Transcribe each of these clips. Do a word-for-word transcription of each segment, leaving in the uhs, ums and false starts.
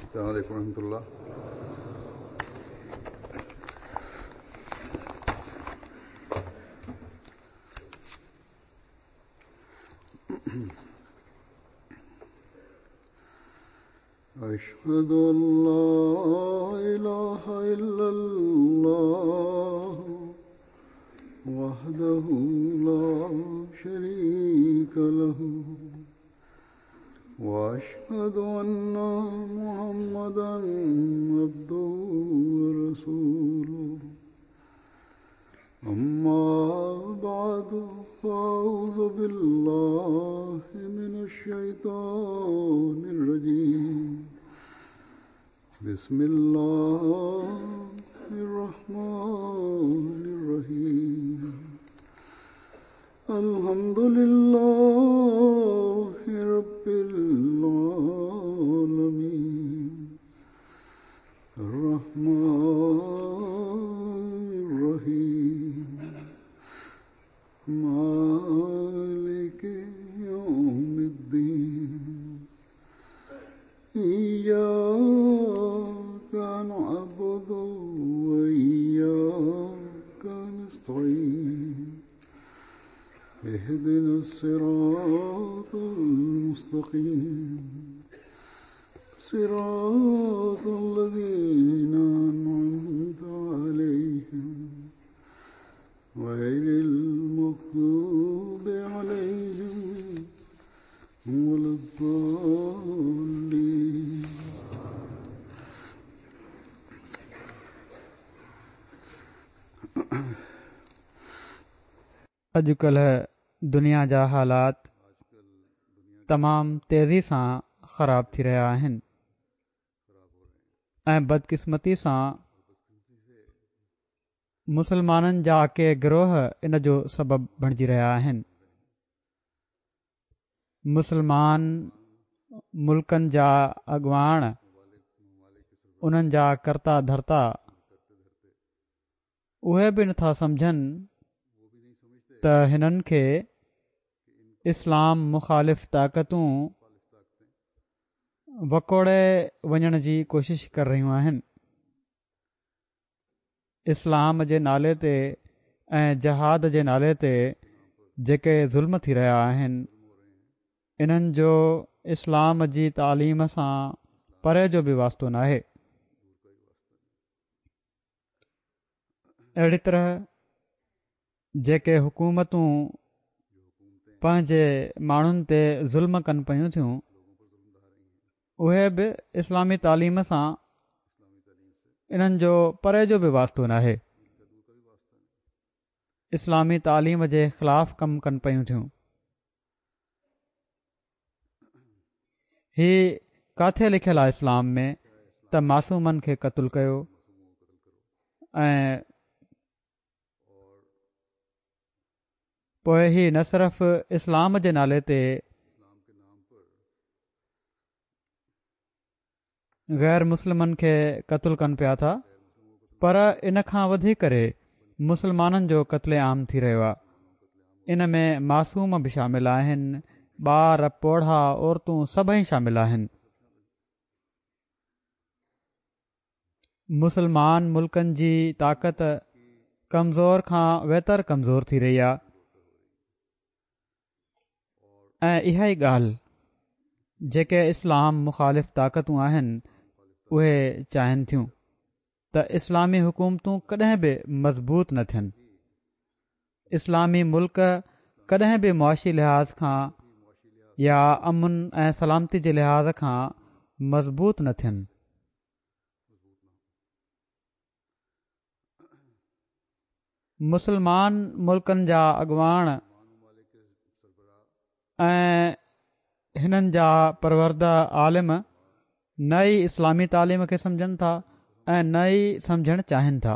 السلام عليكم ورحمة الله. أشهد أن لا إله إلا الله وحده لا شريك له وأشهد أن محمدا عبده ورسوله. أما بعد فأعوذ بالله من الشيطان الرجيم. بسم الله الرحمن الرحيم. الحمد لله رب العالمين الرحمن الرحيم مالك يوم الدين. إياك نعبد وإياك نستعين. اهدنا الصراط المستقيم صراط الذين أنعمت عليهم غير المغضوب عليهم ولا الضالين. اڄڪلهه دنيا جا حالات تمام تيزي سان خراب ٿي رهيا آهن ۽ بدقسمتي سان مسلمانن جا ڪي گروهه ان جو سبب بڻجي رهيا آهن. مسلمان ملڪن جا اڳواڻ، انهن جا ڪرتا ڌرتا اهي به نٿا سمجهن ته هنن کي اسلام مخالف طاقتون وڪوڙي وڃڻ جي ڪوشش ڪري رهيون آهن. اسلام جي نالي تي ۽ جهاد جي نالي تي جيڪي ظلم ٿي رهيا آهن، انهن جو اسلام جي تعليم سان پري جو به واسطو ناهي. اهڙي طرح جيڪي حڪومتون پنهنجي ماڻهن تي ظلم ڪن پيون ٿيون، اهي به اسلامي تعليم سان انهن جو پري جو به واسطو ناهي. اسلامي تعليم جي خلاف ڪم ڪن پيون ٿيون. هي ڪاٿي لکيل آهي اسلام ۾ ته معصومن کي قتل ڪيو ۽ پوءِ هي نه صرف اسلام جي نالي تي غير مسلمن کي قتل ڪن پيا ٿا، پر ان کان وڌي ڪري مسلمانن جو قتل عام ٿي رهيو آهي. ان ۾ معصوم به شامل آهن، ٻار، پوڙها، عورتون سڀئي شامل آهن. مسلمان ملڪن جي طاقت ڪمزور کان ويتر ڪمزور ٿي رهي آهي ۽ اها ئي ڳالهه جيڪي اسلام مخالف طاقتون آهن اهي چاهين ٿيون ته اسلامي حڪومتون ڪڏهن به مضبوط نه ٿين، اسلامي ملڪ ڪڏهن به معاشي لحاظ کان يا امن ۽ سلامتي جي لحاظ کان مضبوط نه ٿين. مسلمان ملڪن جا اڳواڻ ۽ هنن جا پرورده عالم نه ئي اسلامي تعليم کي سمجهن ٿا ۽ نه ئي سمجهڻ چاهين ٿا.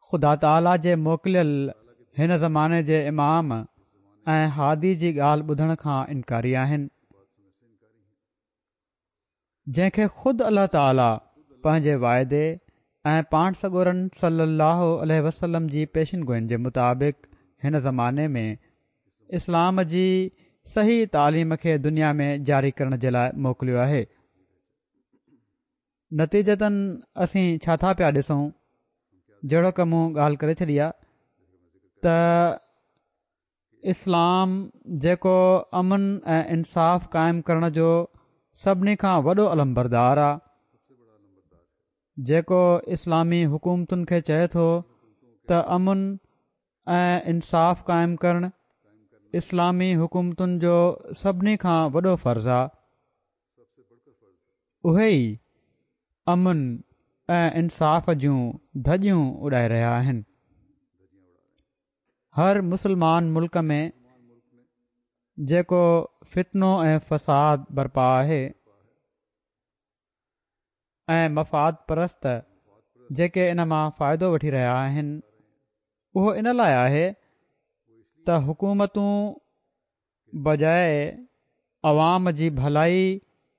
خدا تعاليٰ جي موڪليل هن زماني جي امام ۽ هادي جي ڳالهه ٻڌڻ کان انڪاري آهن، جنهن کي خود الله تعاليٰ پنهنجي واعدي ۽ پاڻ سڳورن صلي الله عليه وسلم جي پيشن گوئين جي مطابق هن زماني ۾ اسلام جي صحيح تعليم کي دنيا ۾ جاري ڪرڻ جي لاء موڪليو آهي. نتيجتن اسين ڇا ٿا پيا ڏسون، جهڙوڪ مون ڳالهه ڪري ڇڏي آهي ته اسلام جيڪو امن ۽ انصاف قائم ڪرڻ جو سڀني کان وڏو علمبردار آهي، جيڪو اسلامي حڪومتن کي چئي ٿو ته امن ۽ انصاف قائم ڪرڻ اسلامي حڪومتن جو سڀني کان وڏو فرض آهي، اهي ئي امن ۽ انصاف جون ڌڄيون اڏائي رهيا آهن. هر مسلمان ملڪ ۾ جيڪو فتنو ۽ فساد برپا آهي ۽ مفاد پرست جيڪي ان مان فائدو وٺي رهيا آهن، اهو ان لاء آهي ته حڪومتون بجاء عوام جي ڀلائي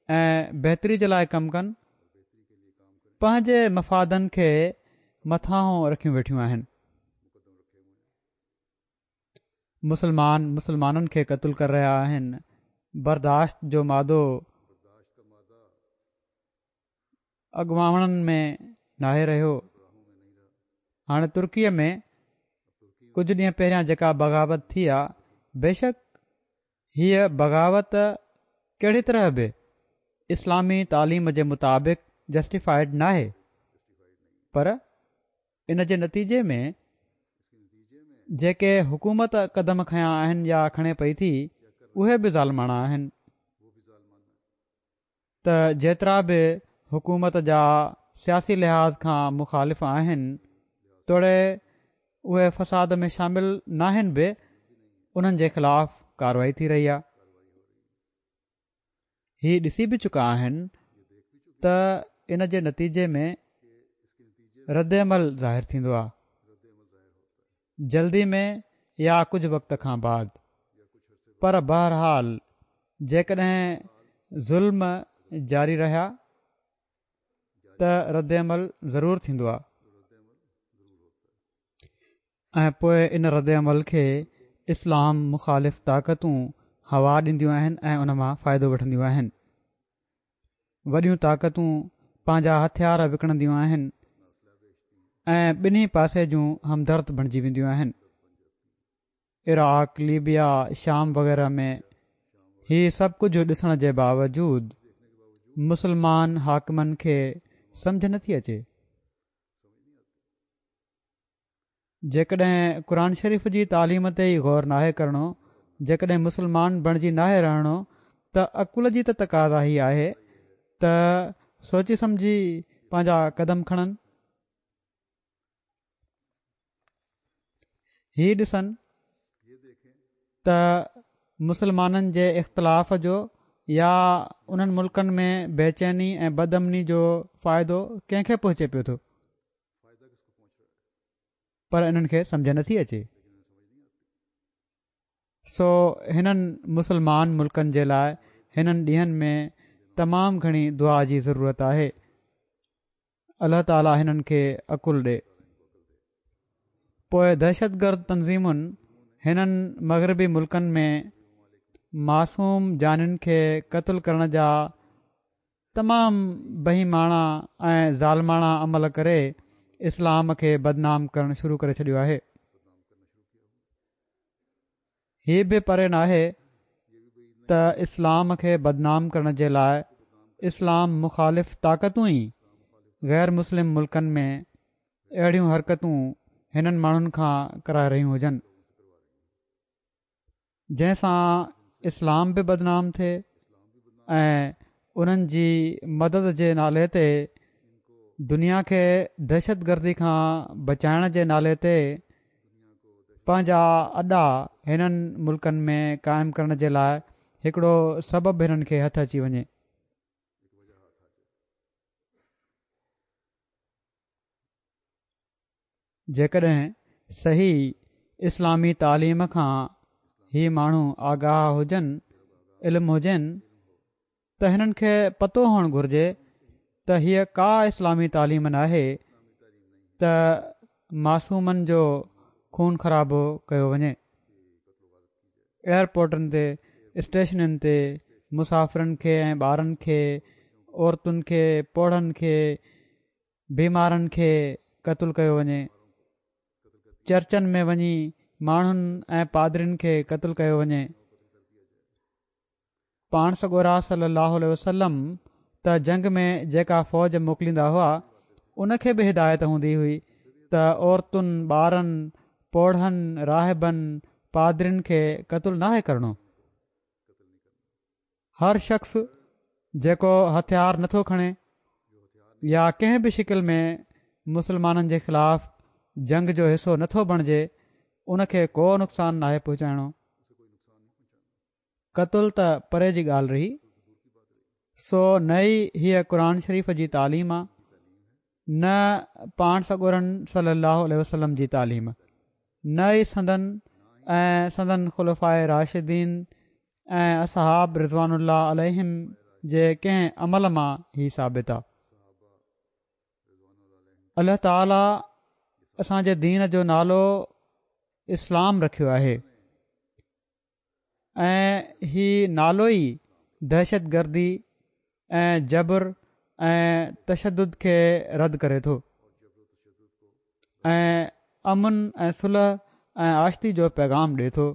۽ بهتري جي لاء ڪم ڪن، پنهنجي مفادن کي مٿانهون رکيون ويٺيون آهن. مسلمان مسلمانن کي قتل ڪري رهيا آهن. برداشت جو مادو اڳواڻن ۾ ناهي رهيو. هاڻي ترڪيء ۾ ڪجهه ڏينهن پهريان جيڪا بغاوت ٿي آ، بيشڪ هيء بغاوت ڪهڙي طرح به اسلامي تعليم جي مطابق جسٽيفائيڊ ناهي، پر ان جي نتيجي ۾ جيڪي حڪومت قدم کنيا آهن يا کڻي پئي ٿي، اهي به ظالماڻا آهن. ته جيترا به حڪومت جا سياسي لحاظ کان مخالف آهن، توڙي اهي فساد ۾ شامل ناهن به، انهن جي خلاف ڪارروائي ٿي رهي آهي. هي ڏسي به چڪا آهن ته ان جي نتيجي ۾ رد عمل ظاهر ٿيندو آهي، جلدي ۾ يا ڪجهه وقت کان بعد، پر بهرحال جيڪڏهن ظلم جاري رهيا ته رد عمل ضرور ٿيندو آهي ۽ پوء ان رد عمل کي اسلام مخالف طاقتون هوا ڏينديون آهن ۽ ان مان فائدو وٺنديون آهن. وڏيون طاقتون پنهنجا هٿيار وڪڻنديون آهن ۽ ٻنهي پاسي جون همدرد بڻجي وينديون آهن. عراق، ليبيا، شام وغيره ۾ هي سڀ ڪجهه ڏسڻ جي باوجود مسلمان حاڪمن کي سمجهه نٿي اچي. جيڪڏهن قرآن شريف جي تعليم تي ئي غور ناهي ڪرڻو، جيڪڏهن مسلمان بڻجي ناهي رهڻو ته عقل جي ته تقاضا هي آهي ته سوچي سمجهي پنهنجا قدم کڻن. هي ڏسن ته مسلمانن جي اختلاف جو يا انهن ملڪن ۾ بيچيني ۽ بدامني جو فائدو ڪنهن کي پهچي پيو ٿو، پر انهن کي سمجهه نٿي اچي. سو هنن مسلمان ملڪن جي لاء هنن ڏينهن ۾ تمام گهڻي دعا جي ضرورت آهي. الله تعالي هنن کي عقل ڏي. پوء دهشتگرد تنظيمن هنن مغربي ملڪن ۾ معصوم جانين کي قتل ڪرڻ جا تمام بهيماڻا ۽ ظالماڻا عمل ڪري اسلام کي بدنام ڪرڻ شروع ڪري ڇڏيو آهي. هي به پري ناهي ته اسلام کي بدنام ڪرڻ جي لاء اسلام مخالف طاقتون ئي غير مسلم ملڪن ۾ اهڙيون حرڪتون هنن ماڻهن کان ڪرائي رهيون هجن، جنهن سان اسلام به بدنام ٿئي ۽ انهن جي مدد جي نالي تي دنيا کي دهشتگردي کان بچائڻ جي نالي تي پنهنجا اڏا هنن ملڪن ۾ قائم ڪرڻ جي لاء هڪڙو سبب هنن کي هٿ اچي وڃي. جيڪڏهن صحيح اسلامي تعليم کان هي ماڻهو آگاهه هجن، علم هجين، ته هنن کي پتو هئڻ گهرجي ته هيء ڪا اسلامي تعليم ناهي ته معصومن جو خون خرابو ڪيو وڃي. ايئرپورٽن تي اسٽيشنن تي مسافرن کي ۽ ٻارن کي، عورتن کي، پوڙهن کي، بيمارن کي قتل ڪيو وڃي، چرچن ۾ وڃي ماڻهن ۽ پادرين کي قتل ڪيو وڃي. پاڻ سڳورا صلي الله عليه وسلم ته جنگ ۾ جيڪا فوج موڪليندا هئا ان کي به هدايت هوندي هئي ته عورتن، ٻارن، پوڙهن، راهبن، پادرين کي قتل ناهي ڪرڻو. هر شخص جيڪو هٿيار نٿو کڻي يا ڪنهن به شڪل ۾ مسلمانن جي خلاف جنگ جو حصو نٿو بڻجي ان کي ڪو نقصان ناهي پهچائڻو. قتل ته پري جي ڳالهه رهي. سو نه ئي هيء قرآن شريف جي تعليم آ نه پاڻ سڳورن صلي الله عليه وسلم جي تعليم، نه ئي سندن ۽ سندن خلفاء راشدين ۽ اصحاب رضوان الله عليهم جي ڪنهن عمل مان هي ثابت آ. الله تعالي اسان جي دين جو نالو اسلام رکيو آهي ۽ هي نالو ئي دهشت گردي ۽ جبر ۽ تشدد کي رد ڪري ٿو ۽ امن ۽ صلح ۽ آشتي جو پيغام ڏي ٿو.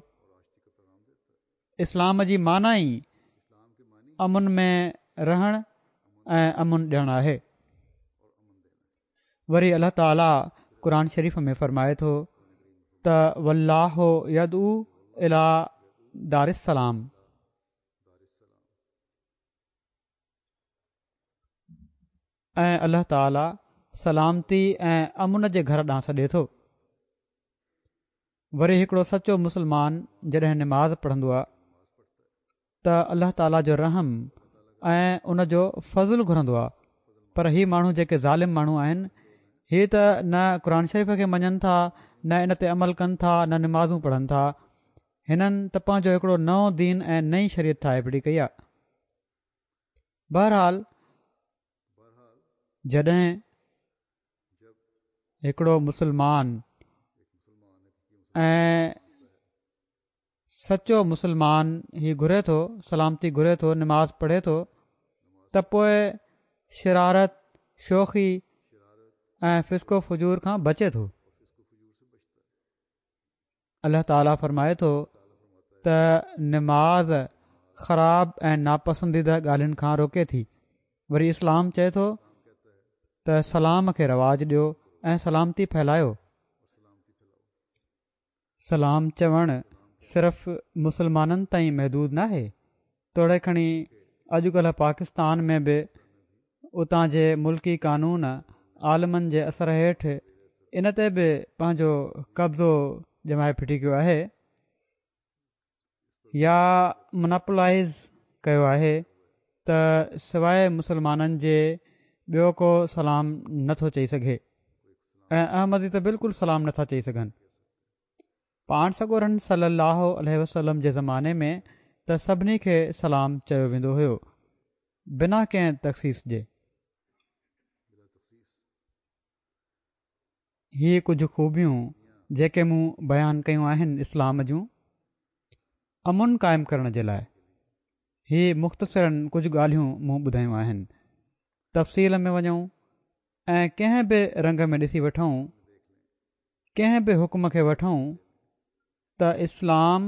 اسلام جي معنيٰ ئي امن ۾ رهڻ ۽ امن ڏيڻ آهي. وري الله تعالي قرآن شريف ۾ فرمائي ٿو ته والله يدعو الي دار السلام. ۽ الله تعالي سلامتي ۽ امن جي گهر ڏانهن سڏي ٿو. وري هڪڙو سچو مسلمان جڏهن نماز پڙهندو آهي ته الله تعالي جو رحم ۽ ان جو فضل گهرندو آهي، پر هي ماڻهو جيڪي ظالم ماڻهو آهن هي ته نه قرآن شريف کي مڃن ٿا، نه ان تي عمل ڪن ٿا، نه نمازون پڙهن ٿا. هنن ته پنهنجو هڪڙو نئون دين ۽ نئين شريعت ٺاهي ڦٽي ڪئي آهي. بهرحال جڏهن هڪڙو مسلمان ۽ سچو مسلمان هي گهري ٿو، سلامتي گهري ٿو، نماز پڙهي ٿو ته پوء شرارت، شوخي ۽ فسق و فجور کان بچي ٿو. الله تعالي فرمائي ٿو ته نماز خراب ۽ ناپسنديده ڳالهين کان روڪي ٿي. وري اسلام چئي ٿو ته سلام کي رواج ڏيو ۽ سلامتي ڦهلايو. سلام چوڻ صرف مسلمانن تائين محدود ناهي، توڙي کڻي اڄڪلهه پاڪستان ۾ به اتان جي ملڪي قانون عالمن جي اثر هيٺ ان تي به پنهنجو قبضو ڄمائي ڦٽي ڪيو آهي يا مناپولائيز ڪيو آهي ته سواء مسلمانن جي ٻيو ڪو سلام نٿو چئي سگهي ۽ احمدي ته بلڪل سلام نٿا چئي سگهن. پاڻ سڳورن صلي الله عليه وسلم جي زماني ۾ ته سڀني کي سلام چيو ويندو هيو بنا ڪنهن تخصيص جي. هي ڪجهه خوبيون جيڪي مون بيان ڪيون آهن اسلام جون امن قائم ڪرڻ جي لاء هي مختصراً ڪجهه ڳالهيون مون ٻڌايون آهن. تفصيل ۾ وڃون ۽ ڪنهن به رنگ ۾ ڏسي وٺون، ڪنهن به حڪم کي وٺون ته اسلام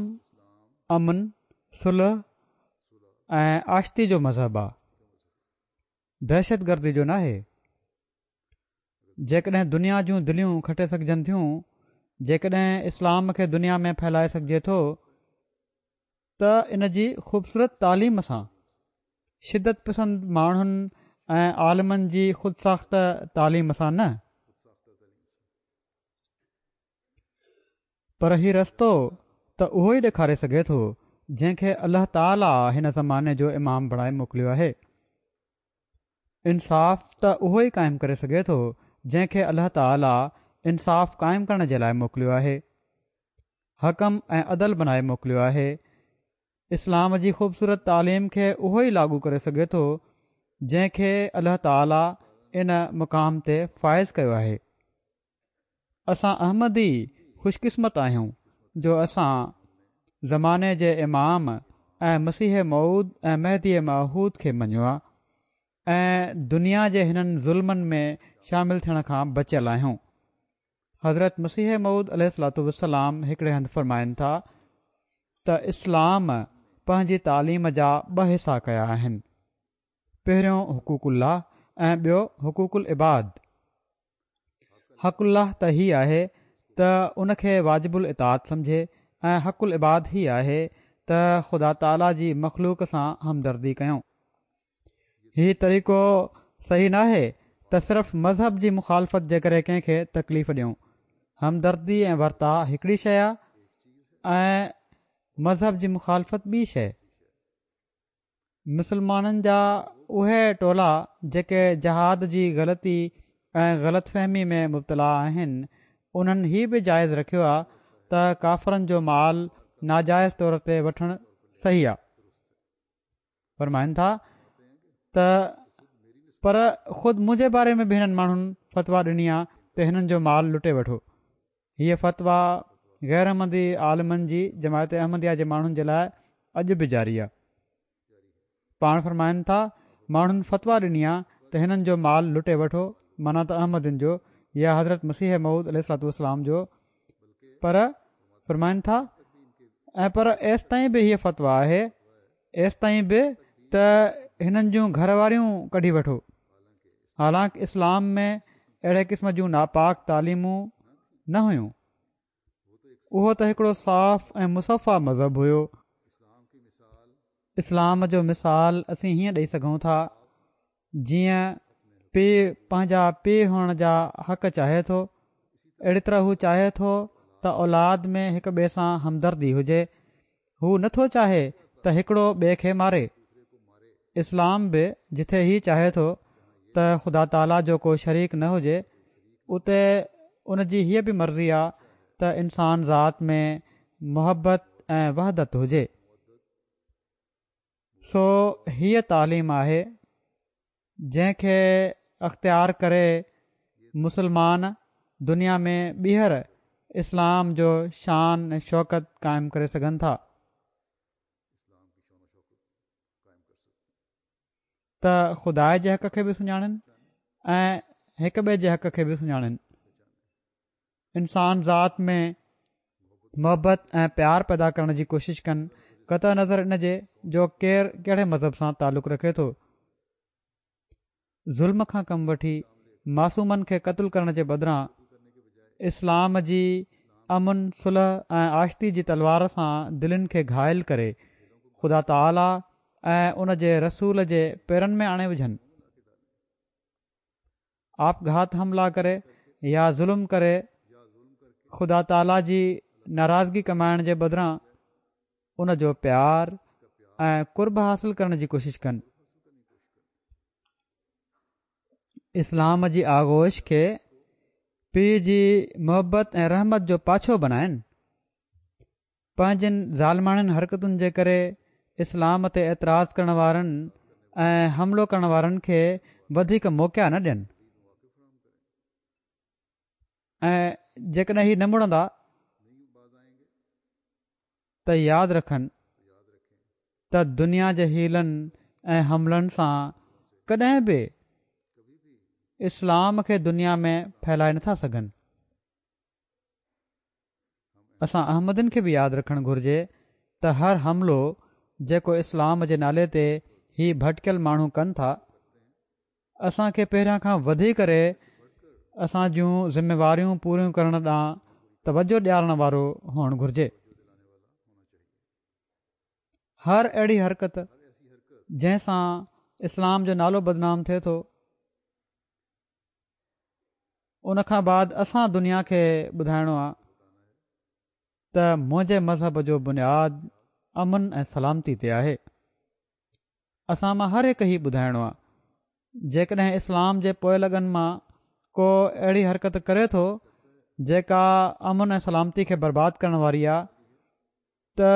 امن، صلح ۽ آشتي جو مذهب آ، دهشت گردي جو ناهي. جيڪڏهن دنيا جون دليون کٽي سگهجن ٿيون، جيڪڏهن اسلام کي دنيا ۾ ڦهلائي سگهجي ٿو ته ان جي خوبصورت تعليم سان، شدت پسند ماڻهن ۽ عالمن جي خود ساخته تعليم سان نه. پر هي رستو ته اهو ئي ڏيکاري سگهي ٿو جنهن کي الله تعاليٰ هن زماني جو امام بڻائي موڪليو آهي. انصاف ته اهو ئي قائم ڪري سگهي ٿو جنهن کي الله تعاليٰ انصاف قائم ڪرڻ جي لاء موڪليو آهي. حڪم ۽ عدل بنائي موڪليو آهي. اسلام جي خوبصورت تعليم کي اهو ئي لاڳو ڪري سگهي ٿو جنهن کي الله تعاليٰ ان مقام تي فائز ڪيو آهي. اسان احمدي خوش قسمت آهيون جو اسان زماني جي امام ۽ مسيح موعود ۽ مهدي معهود کي مڃيو آ ۽ دنيا جي هنن ظلمن ۾ شامل ٿيڻ کان بچيل آهيون. حضرت مسيح موعود عليه الصلوة والسلام هڪڙي هنڌ فرمائن ٿا ته اسلام پنهنجي تعليم جا ٻه حصا ڪيا آهن، پهريون حقوق الله ۽ ٻيو حقوق العباد. حق الله ته هي آهي ته ان کي واجب الاطاعت سمجهي ۽ حق العباد هي آهي ته خدا تعاليٰ جي مخلوق سان همدردي ڪيون. هي طريقو صحيح ناهي ته صرف مذهب جي مخالفت جي ڪري ڪنهن کي تڪليف ڏيون. همدردي ۽ ورتاء هڪڙي شيء آهي ۽ مذهب جي مخالفت ٻي شيء. مسلمانن جا اهي ٽولا جيڪي جهاد جي غلطي ۽ غلط فهمي ۾ مبتلا آهن انهن هي به جائز رکيو آ ته ڪافرن جو مال ناجائز طور تي وٺڻ صحيح آ. فرمائن ٿا ته پر خود منهنجي باري ۾ به هنن ماڻهن فتويٰ ڏني آ ته هنن جو مال لٽي وٺو. هيء فتويٰ غير احمدي عالمن جي جماعت احمديه جي ماڻهن جي لاء اڄ به جاري آ. پاڻ فرمائن ٿا، ماڻهن فتويٰ ڏني آ ته هنن جو مال لٽي وٺو معنيٰ ته احمدين جو يا حضرت مسيح موعود عليه الصلوة والسلام جو پر فرمائن ٿا ۽ پر ايستائين به هيء فتويٰ آهي ايستائين به ته هنن جون گهر واريون ڪڍي وٺو حالانڪ اسلام ۾ اهڙي قسم جون ناپاڪ تعليمون نه هيون اهو ته هڪڙو صاف ۽ مصفا مذهب هيو اسلام جو مثال اسين هيئن ڏئي سگهون ٿا جيئن پيء پنهنجا پيء هئڻ جا حق چاهي ٿو اهڙي طرح هو چاهي ٿو ته اولاد ۾ هڪ ٻئي سان همدردي هجي هو نه ٿو چاهي ته هڪڙو ٻئي کي ماري اسلام به جٿي هي چاهي ٿو ته خدا تعاليٰ جو ڪو شريڪ نه هجي اتي ان جي هيء به مرضي آ ته انسان ذات ۾ محبت ۽ وحدت هجي سو هيء تعليم آهي جنهن کي اختيار ڪري مسلمان دنيا ۾ ٻيهر اسلام جو شان ۽ شوڪت قائم ڪري سگهن ٿا ته خدا جي حق کي به سڃاڻن ۽ هڪ ٻئي جي حق کي به سڃاڻن انسان ذات ۾ محبت ۽ پيار پيدا ڪرڻ جي ڪوشش ڪن قطع نظر ان جي جو ڪير ڪهڙي مذهب سان تعلق رکي ٿو. ظلم کان ڪم وٺي معصومن کي قتل ڪرڻ جي بدران اسلام جي امن صلح ۽ آشتي جي تلوار سان دلين کي گهائل ڪري خدا تعاليٰ ۽ ان جي رسول جي پيرن ۾ آڻي وجهن. آپگهات حملا ڪري يا ظلم ڪري خدا تعاليٰ جي ناراضگي ڪمائڻ جي بدران ان جو پيار ۽ قرب حاصل ڪرڻ جي ڪوشش ڪن. اسلام جي آغوش کي پيء جي محبت ۽ رحمت جو پاڇو بنائن. پنهنجين ظالماڻين حرڪتن جي ڪري اسلام تي اعتراض ڪرڻ وارن ۽ حملو ڪرڻ وارن کي وڌيڪ موقعا نه ڏين ۽ جيڪڏهن هي نه مڙندا ته ياد رکن ته دنيا جي حيلن ۽ حملن سان ڪڏهن به اسلام کي دنيا ۾ ڦهلائي نٿا سگهن. اسان احمدين کي به ياد رکڻ گهرجي ته هر حملو جيڪو اسلام جي نالي تي هي ڀٽڪيل ماڻهو ڪن ٿا اسان کي پهريان کان وڌي ڪري اسان جون ذميواريون پوريون ڪرڻ ڏانهن توجه ڏيارڻ وارو هئڻ گهرجي. هر اهڙي حرڪت جنهن سان اسلام جو نالو بدنام ٿئي ٿو ان کان بعد اسان دنيا کي ٻڌائڻو آ ته منهنجي مذهب جو بنياد امن ۽ سلامتي تي آهي. اسان مان هر هڪ هي ٻڌائڻو آ. جيڪڏهن اسلام جي پوئلڳن مان ڪو اهڙي حرڪت ڪري ٿو جيڪا امن ۽ سلامتي کي برباد ڪرڻ واري آ ته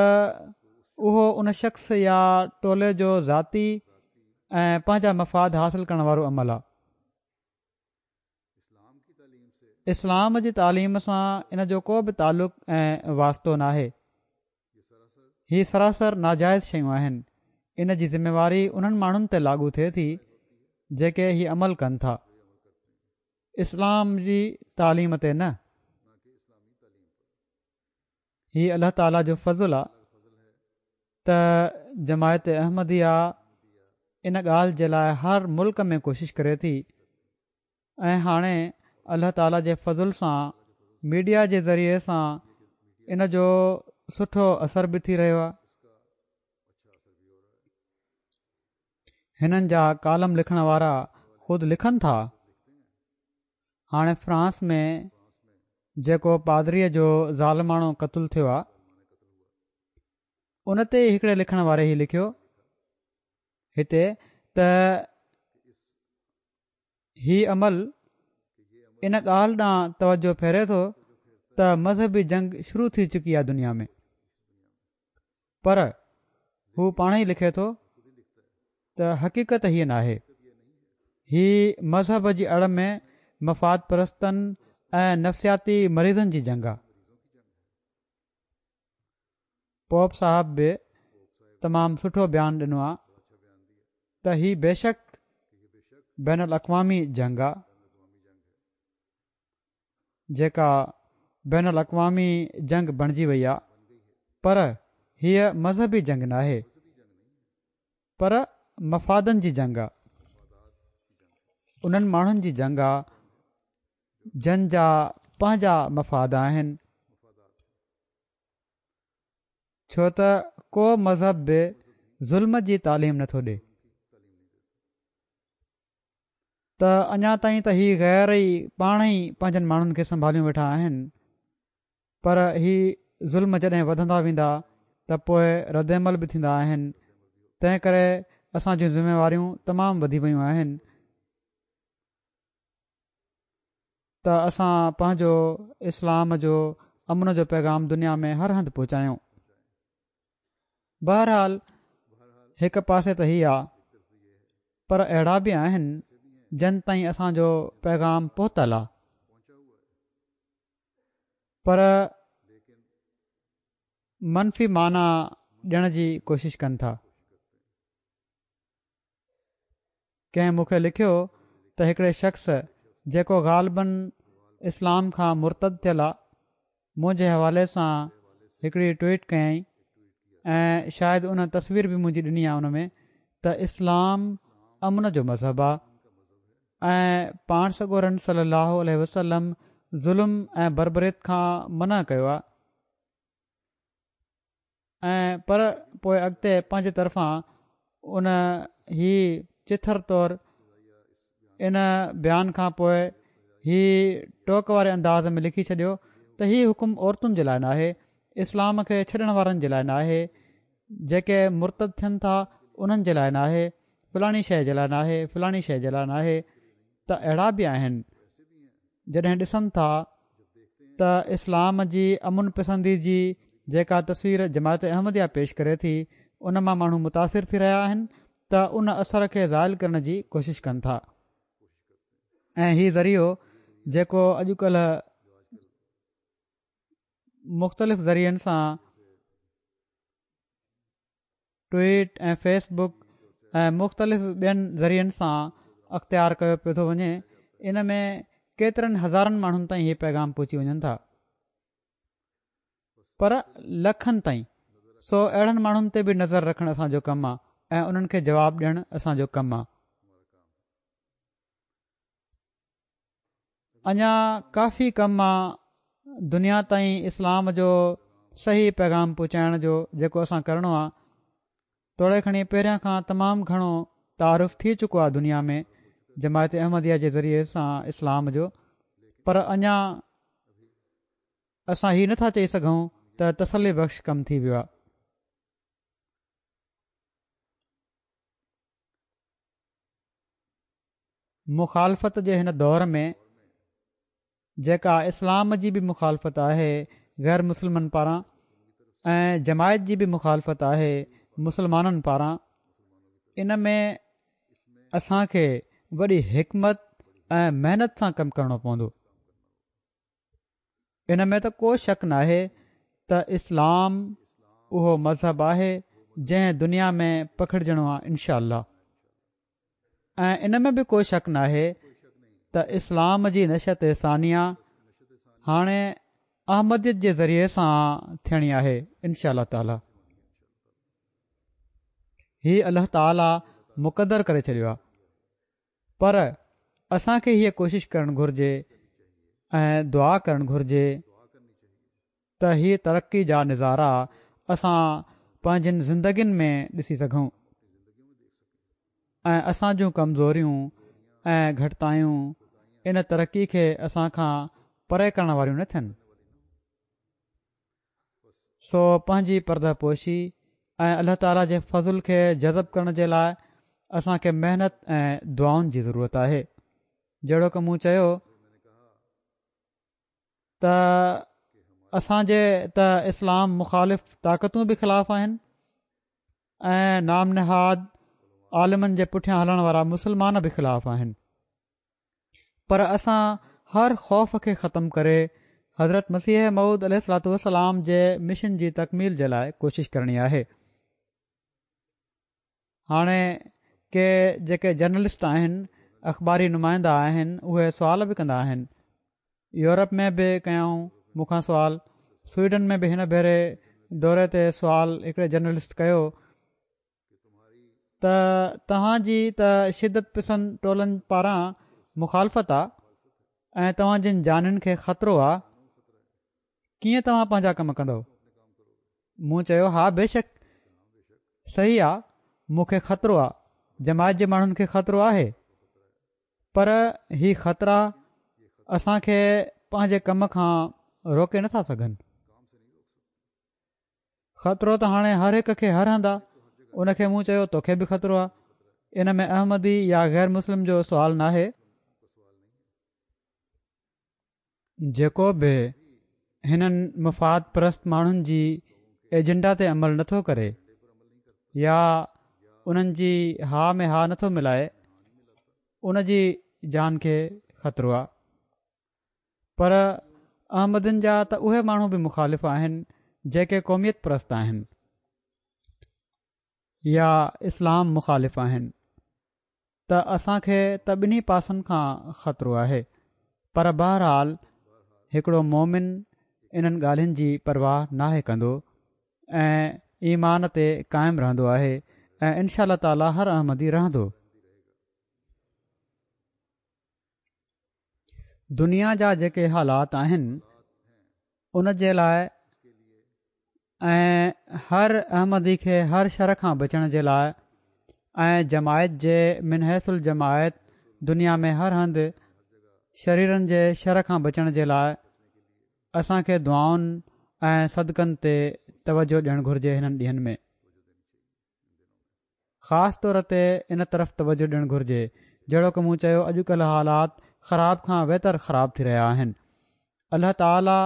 اهو ان شخص يا ٽولي جو ذاتي ۽ پنهنجا مفاد حاصل ڪرڻ وارو عمل آ. اسلام جي تعليم سان ان جو ڪو به تعلق ۽ واسطو ناهي. هي سراسر ناجائز شيون آهن. ان جي ذميواري انهن ماڻهن تي لاڳو ٿئي ٿي جيڪي هي عمل ڪن ٿا، اسلام جي تعليم تي نه. هي الله تعاليٰ جو فضل آ ته جماعت احمديه ان ڳالهه جي لاء هر ملڪ ۾ ڪوشش ڪري ٿي ۽ هاڻي الله تعاليٰ جي فضل سان ميڊيا جي ذريعي سان ان جو سٺو اثر به ٿي رهيو آهي. هنن جا ڪالم لکڻ وارا خود لکن ٿا. هاڻي فرانس ۾ جيڪو پادريء جو ظالماڻو قتل ٿيو آهي ان تي هڪڙي لکڻ واري هي لکيو هتي ته هي عمل ان ڳالهه ڏانهن توجه ڦيري ٿو ته مذهبي جنگ شروع ٿي چڪي آهي دنيا ۾، پر هو پاڻ ئي لکي ٿو ته حقيقت هيء ناهي. هي مذهب جي آڙ ۾ مفاد پرستن ۽ نفسياتي مريضن جي جنگ آهي. پوپ صاحب به تمام سٺو بيان ڏنو آهي ته هي بيشڪ بين الاقوامي جنگ آهي جيڪا بين الاقوامي جنگ بڻجي وئي آهي، پر هيء مذهبي جنگ ناهي پر مفادن جي جنگ آهي. انهن ماڻهن جي جنگ آهي جن جا پنهنجا مفاد آهن، ڇو ته ڪو مذهب به ظلم جي تعليم نٿو ڏي. ته اڃا تائين ته هي غير ئي پاڻ ئي پنهنجن ماڻهن کي سنڀاليون ويٺا آهن، پر هي ظلم جڏهن وڌندا ويندا ته پوء ردعمل به ٿيندا آهن. تنهن ڪري اسان جون ذميواريون تمام وڌي ويون آهن ته اسان پنهنجو اسلام جو امن جو پيغام دنيا ۾ هر هنڌ پهچايون. بهرحال هڪ پاسي ته هي آ، پر اهڙا به آهن جن تائين اسان جو پيغام پهتل آ، پر منفي معنيٰ ڏيڻ جي ڪوشش ڪن ٿا. ڪنهن مون کي لکيو ته هڪڙي شخص جيڪو غالباً اسلام کان مرتد ٿيل آ، منهنجي حوالي سان هڪڙي ٽوئيٽ ڪيائين ۽ شايد ان تصوير به منهنجي ڏني آ ان ۾ ته اسلام امن جو مذهب آ ۽ پاڻ سڳورن صلي الله عليه وسلم ظلم ۽ بربريت کان منع ڪيو آ ۽ پر پوء اڳتي پنهنجي طرفان ان هي چٿر طور ان بيان کان پوء هي ٽوڪ واري انداز ۾ لکي ڇڏيو ته هي حڪم عورتن جي لاء ناهي، اسلام کي ڇڏڻ وارن جي لاء ناهي، جيڪي مرتد ٿين ٿا انهن جي لاء ناهي، فلاڻي شيء جي لاء ناهي، فلاڻي شيء جي لاء ناهي. ته اهڙا به آهن جڏهن ڏسن ٿا ته اسلام جي امن پسندي جي جيڪا تصوير جماعت احمديه پيش ڪري ٿي ان مان ماڻهو متاثر ٿي رهيا آهن ته ان اثر کي زائل ڪرڻ جي ڪوشش ڪن ٿا ۽ هي ذريعو جيڪو اڄڪلهه مختلف ذريعن سان ٽوئيٽ ۽ فيس بڪ ۽ مختلف ٻين ذريعن سان اختيار ڪيو پيو ٿو وڃي، ان ۾ ڪيترن هزارن ماڻهن تائين هي پيغام پهچي وڃن ٿا، پر لکن تائين، سو اهڙن ماڻهن تي به نظر رکڻ اسان جو ڪم آ ۽ انهن کي جواب ڏيڻ اسان جو ڪم آ. اڃا ڪافي ڪم آ دنيا تائين اسلام جو صحيح پيغام پهچائڻ جو، جيڪو اسان ڪرڻو آ. توڙي کڻي پهريان کان تمام گهڻو تعارف ٿي چڪو آ دنيا ۾ جماعت احمديه جي ذريعي سان اسلام جو، پر اڃا اسان هي نٿا چئي سگهون ته تسلي بخش ڪم ٿي ويو آ. مخالفت جي هن دور ۾ جيڪا اسلام جي به مخالفت آهي غير مسلمن پاران ۽ جماعت جي به مخالفت آهي مسلمانن پاران، ان ۾ اسان کي وڏي حڪمت ۽ محنت سان ڪم ڪرڻو پوندو. ان ۾ ته ڪو شڪ ناهي ته اسلام اهو مذهب آهي جنهن دنيا ۾ پکڙجڻو آهي انشاء الله. ۽ ان ۾ به ڪو شڪ ناهي ته اسلام جي نشأت ثانيه هاڻي احمديت جي ذريعي سان ٿيڻي آهي انشاء الله تعالي. هي الله تعالي مقدر ڪري ڇڏيو آهي، پر اسان کي هيء ڪوشش ڪرڻ گهرجي ۽ دعا ڪرڻ گهرجي ته هي ترقي جا نظارا اسان پنهنجين زندگين ۾ ڏسي سگهون ۽ اسان جون ڪمزوريون ۽ گهٽتايون ان ترقي کي اسان کان پري ڪرڻ واريون نه ٿين. سو پنهنجي پرده پوشي ۽ الله تعاليٰ جي فضل کي جذب ڪرڻ جي لاء اسان کي محنت ۽ دعائن جي ضرورت آهي. جهڙوڪ مون چيو ته اسان جي ته اسلام مخالف طاقتون به خلاف آهن ۽ نام نهاد عالمن جي پٺيان هلڻ وارا مسلمان به خلاف آهن، پر اسان هر خوف کي ختم ڪري حضرت مسيح موعود عليه الصلوة والسلام جي مشن جي تڪميل جي لاء ڪوشش ڪرڻي آهي. هاڻي ڪي جيڪي جرنلسٽ آهن، اخباري نمائندا آهن، اهي سوال به ڪندا آهن. يورپ ۾ به ڪيائون مون کان سوال، سوئيڊن ۾ به هن ڀيري دوري تي سوال هڪڙي جرنلسٽ ڪيو ته توهان جي ته شدت پسند ٽولن پاران مخالفت آ ۽ توهان جن جانين کي خطرو آ، ڪيئن توهان پنهنجا ڪم ڪندؤ؟ مون چيو ها بيشڪ صحيح آ، مون کي خطرو آ، جماعت جي ماڻهن کي خطرو آهي، پر هي خطرا اسان کي پنهنجي ڪم کان روڪي نٿا سگهن. خطرو ته هاڻي هر هڪ کي هر هنڌ آ. ان کي مون چيو توکي به خطرو آ. ان ۾ احمدي يا غير مسلم جو سوال ناهي. جيڪو به هنن مفاد پرست ماڻهن جي ايجنڊا تي عمل نٿو ڪري يا انهن جي ها ۾ ها نٿو ملائي، ان جي جان کي خطرو آ. پر احمدين جا ته اهي ماڻهو به مخالف آهن جيڪي قوميت پرست آهن يا اسلام مخالف آهن ته اسان کي ته ٻنهي پاسن کان خطرو آهي، پر بهرحال هڪڙو مومن انهن ڳالهين جي پرواهه ناهي ڪندو ۽ ايمان تي قائم رهندو آهي ۽ انشاء الله تعالي هر احمدي رهندو. دنيا جا جيڪي حالات آهن ان جي لاء ۽ هر احمدي کي هر شر کان بچڻ جي لاء ۽ جماعت جي من حيث الجماعت دنيا ۾ هر هنڌ شريرن جي شر کان بچڻ جي لاء اسان کي دعائن ۽ صدقن تي توجه ڏيڻ گهرجي. هنن ڏينهن ۾ خاص طور تي ان طرف توجه ڏيڻ گهرجي. جهڙوڪ مون چيو اڄڪلهه حالات خراب کان ويتر خراب ٿي رهيا آهن. الله تعالي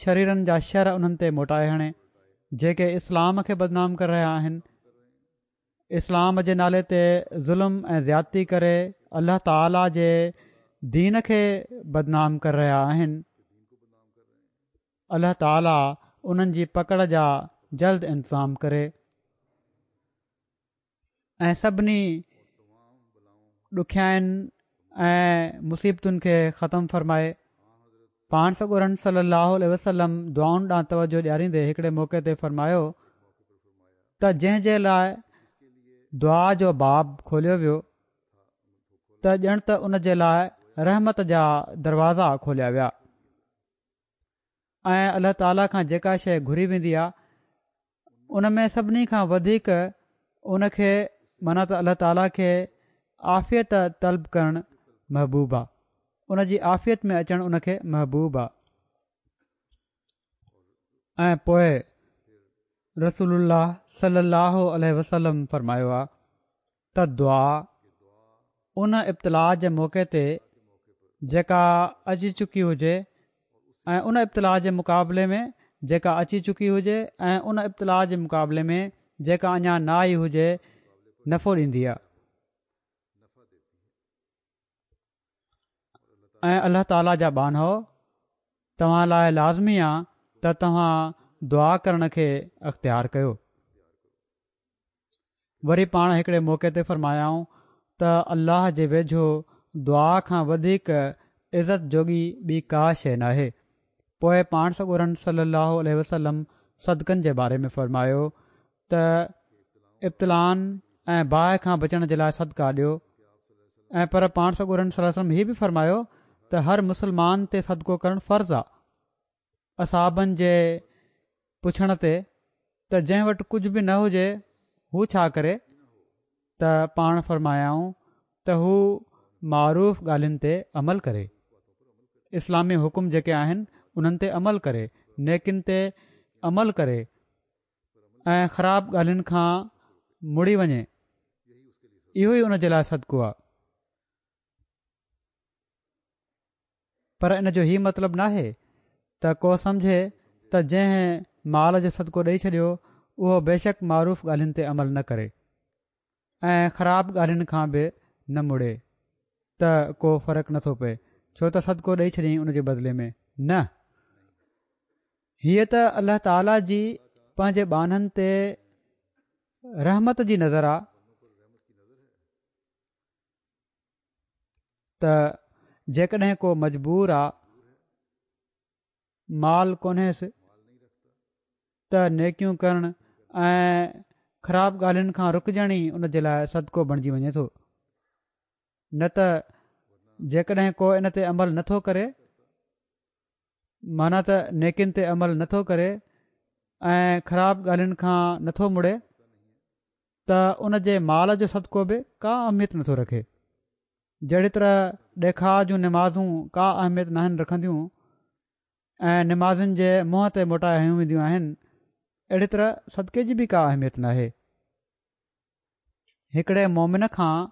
شريرن جا شر انهن تي موٽائي هڻي جيڪي اسلام کي بدنام ڪري رهيا آهن. اسلام جي نالي تي ظلم ۽ زيادتي ڪري الله تعالي جي دين کي بدنام ڪري رهيا آهن. الله تعالي انهن جي پڪڙ جا جلد انتظام ڪري. ۽ سڀني ڏکيائين ۽ مصيبتن کي ختم فرمائي. پاڻ سڳورن صلي الله عليه وسلم دعائن ڏانهن توجه ڏياريندي هڪڙي موقعي تي فرمايو ته جنهن جي لاء دعا جو باب کوليو ويو ته ڄڻ ته ان جي لاء رحمت جا دروازا کوليا ويا ۽ الله تعاليٰ کان جيڪا شيء گهري ويندي آهي ان ۾ سڀني کان وڌيڪ ان کي معنيٰ ته الله تعاليٰ کي عافيت طلب ڪرڻ محبوب آ، ان جي عافيت ۾ اچڻ ان کي محبوب آ. ۽ پوء رسول الله صلي الله عليه وسلم فرمايو آ ته دعا ان ابتلاء جي موقعي تي جيڪا اچي چڪي هجي ۽ ان ابتلاء جي مقابلي ۾ جيڪا اچي چڪي هجي ۽ ان ابتلاء جي مقابلي ۾ جيڪا اڃا نه آئي هجي نفعو ڏيندي آهي ۽ الله تعاليٰ جا ٻانهو توهان لاء لازمي آ ته توهان دعا ڪرڻ کي اختيار ڪيو. وري پاڻ هڪڙي موقعي تي فرمايائون ته الله جي ويجهو دعا کان وڌيڪ عزت جوڳي ٻي ڪا شيء ناهي. پوءِ پاڻ سڳورن صلي الله عليه وسلم صدقن جي باري ۾ فرمايو ته ابتلائن ۽ باهه کان بچڻ جي لاءِ صدقا ڏيو. ۽ پر پاڻ سڳورن صلي الله عليه وسلم هي به فرمايو ته هر مسلمان تي صدقو ڪرڻ فرض آهي. اصحابن جي پڇڻ تي ته جنهن وٽ ڪجهه به نه هجي هو ڇا ڪري، ته پاڻ فرمايائون ته هو معروف ڳالهين تي عمل ڪري، اسلامي حڪم جيڪي آهن انهن تي عمل ڪري، نيڪين تي عمل ڪري ۽ خراب ڳالهين کان مڙي وڃي، اهو ئي ان جي لاءِ صدقو آهي. پر ان جو هي مطلب ناهي ته ڪو سمجهي ته جنهن مال جو صدقو ڏئي ڇڏيو اهو بيشڪ معروف ڳالهين تي عمل نه ڪري ۽ خراب ڳالهين کان به نه مڙي ته ڪو فرق نٿو پئي، ڇو ته صدقو ڏئي ڇڏيائين ان جي بدلي ۾ نه. هيءَ ته الله تعاليٰ جي پنهنجي ٻانهن تي رحمت جي نظر آهي ته جيڪڏهن ڪو مجبور آهي، مال ڪونهيس، ته نيڪيون ڪرڻ ۽ خراب ڳالهين کان رڪجڻ ئي ان جي لاءِ صدقو بڻجي وڃي ٿو. نه ته جيڪڏهن ڪو ان تي عمل نٿو ڪري، معنيٰ ته نيڪين تي عمل نٿو ڪري ۽ خراب ڳالهين کان نٿو مڙي، ته ان جي مال جو صدقو به ڪا اهميت نٿو رکي. جهڙي طرح ڏيکاءُ جون نمازون ڪا اهميت ناهن رکنديون ۽ نمازن جي منهن تي موٽائي هنيون وينديون آهن، اهڙي طرح صدقي جي به ڪا اهميت ناهي. هڪڙي مومن کان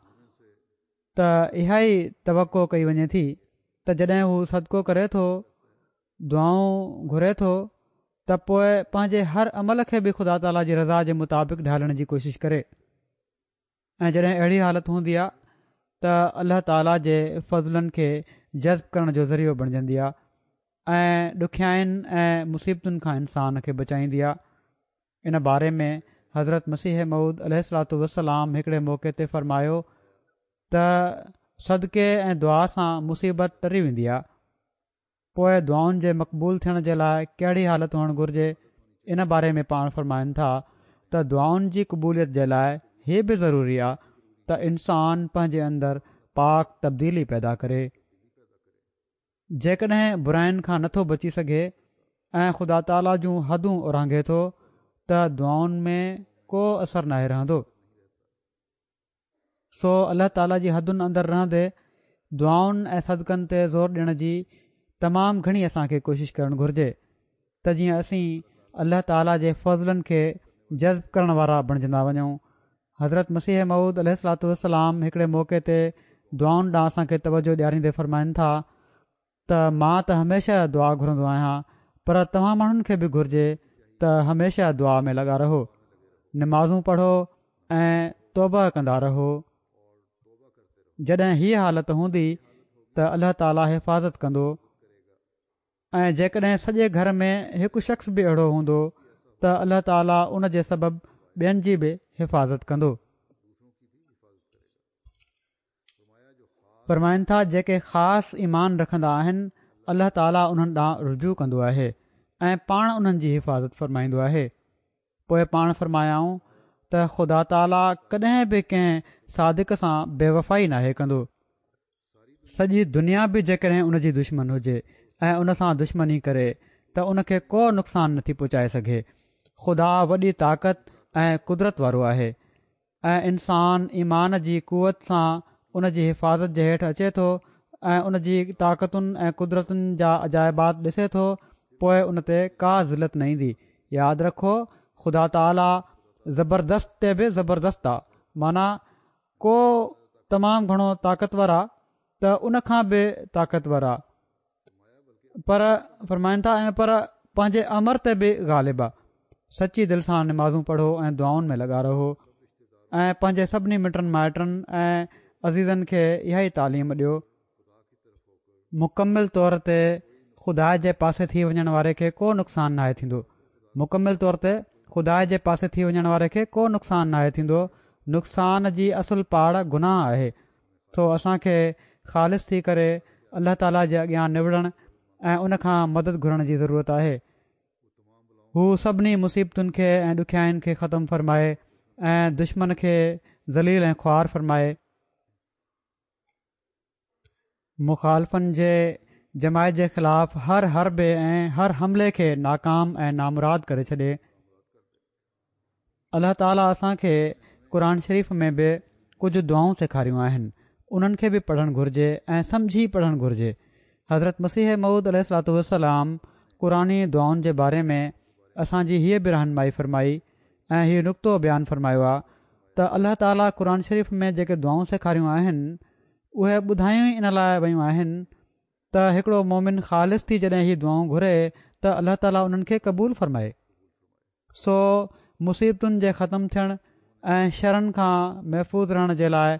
ته اها ئي توقع ڪئي وڃي ٿي ته جڏهن هو صدقو ڪري ٿو، دعائون گهري ٿو، ته پوءِ پنهنجي هر عمل کي به خدا تعاليٰ جي رضا جي مطابق ڍالڻ جي ڪوشش ڪري. ۽ جڏهن اهڙي حالت هوندي آهي ته الله تعاليٰ جي فضلن کي جذب ڪرڻ جو ذريعو بڻجندي آهي ۽ ڏکيائين ۽ مصيبتن کان انسان کي بچائيندي آهي. ان باري ۾ حضرت مسيح موعود عليه الصلوة والسلام هڪڙي موقعي تي فرمايو ته صدقي ۽ دعا سان مصيبت ٽري ويندي آهي. پوءِ دعائن جي مقبول ٿيڻ جي لاءِ ڪهڙي حالت هئڻ گهرجي، ان باري ۾ پاڻ فرمائن ٿا ته دعائن جي قبوليت جي لاءِ هي به ضروري آهي ته انسان پنهنجي اندر پاڪ تبديلي پيدا ڪري. جيڪڏهن براين کان نٿو بچي سگهي ۽ خدا تعاليٰ جون حدون اورانگهي ٿو ته دعائن ۾ ڪو اثر ناهي رهندو. سو الله تعاليٰ جي حدن اندر رهندي دعائن ۽ صدقن تي زور ڏيڻ جي تمام گهڻي اسان کي ڪوشش ڪرڻ گهرجي ته جيئن اسين الله تعاليٰ جي فضلن کي جذب ڪرڻ وارا بڻجندا وڃون. حضرت مسيح موعود عليه الصلوة والسلام هڪڙي موقعي تي دعائن ڏانهن اسان کي توجهه ڏياريندي فرمائن ٿا ته مان ته هميشه دعا گهرندو آهيان، پر توهان ماڻهن کي به گهرجي ته هميشه دعا ۾ لڳا رهو، نمازون پڙهو ۽ توبه ڪندا رهو. جڏهن هيءَ حالت هوندي ته الله تعاليٰ حفاظت ڪندو. ۽ جيڪڏهن سڄي گهر ۾ هڪ شخص به اهڙو هوندو ته الله تعاليٰ ان جي سبب ٻين جي به حفاظت ڪندو. فرمائن ٿا جيڪي خاص ايمان رکندا آهن الله تعاليٰ انهن ڏانهن رجوع ڪندو آهي ۽ پاڻ انهن جي حفاظت فرمائيندو آهي. پوءِ پاڻ فرمايائون ته خدا تعاليٰ ڪڏهن به ڪنهن صادق سان بيوفائي ناهي ڪندو. سڄي دنيا به جيڪڏهن ان جي دشمن هجي ۽ ان سان دشمني ڪري ته ان کي ڪو نقصان نٿي پهچائي سگهي. خدا وڏي طاقت ۽ قدرت وارو آهي ۽ انسان ايمان جي قوت سان ان جي حفاظت جي هيٺ اچي ٿو ۽ ان جي طاقتن ۽ قدرتن جا عجائبات ڏسي ٿو، پوءِ ان تي ڪا ذلت نه ايندي. ياد رکو خدا تعاليٰ زبردست تي به زبردست آهي، معنيٰ ڪو تمام گهڻو طاقتور آهي ته ان کان به طاقتور آهي، پر فرمائن ٿا ۽ پر پنهنجي امر تي به غالب آهي. سچي دل سان نمازون پڙهو ۽ دعائن ۾ لڳا رهو ۽ پنهنجي سڀني مٽن مائٽن ۽ عزيزن کي اها ئي تعليم ڏيو. مڪمل طور تي خدا جي پاسي ٿي وڃڻ واري کي ڪو نقصان ناهي ٿيندو. مڪمل طور تي خدا جي پاسي ٿي وڃڻ واري کي ڪو نقصان ناهي ٿيندو. نقصان جي اصل پاڙ گناهه آهي. سو اسان کي خالص ٿي ڪري الله تعاليٰ جي اڳيان نوڙڻ ۽ ان کان مدد گهرڻ جي ضرورت آهي. هو سڀني مصيبتن کي ۽ ڏکيائين کي ختم فرمائي ۽ دشمن کي ذليل ۽ خوار فرمائي. مخالفن جي جماعت جي خلاف هر حربي ۽ هر حملي کي ناڪام ۽ نامراد ڪري ڇڏي. الله تعاليٰ اسان کي قرآن شريف ۾ به ڪجهه دعائون سيکاريون آهن، انهن کي به پڙهڻ گهرجي ۽ سمجهي پڙهڻ گهرجي. حضرت مسيح موعود عليه الصلوة والسلام قرآني دعائن جي باري ۾ اسان جي هيء به رهنمائي فرمائي ۽ هيء نڪتو بيان فرمايو آهي ته الله تعاليٰ قرآن شريف ۾ جيڪي دعائون سيکاريون آهن اهي ٻڌايون ئي ان لاء ويون آهن ته هڪڙو مومن خالص ٿي جڏهن هي دعائون گهري ته الله تعاليٰ انهن کي قبول فرمائي. سو مصيبتن جي ختم ٿيڻ ۽ شرن کان محفوظ رهڻ جي لاء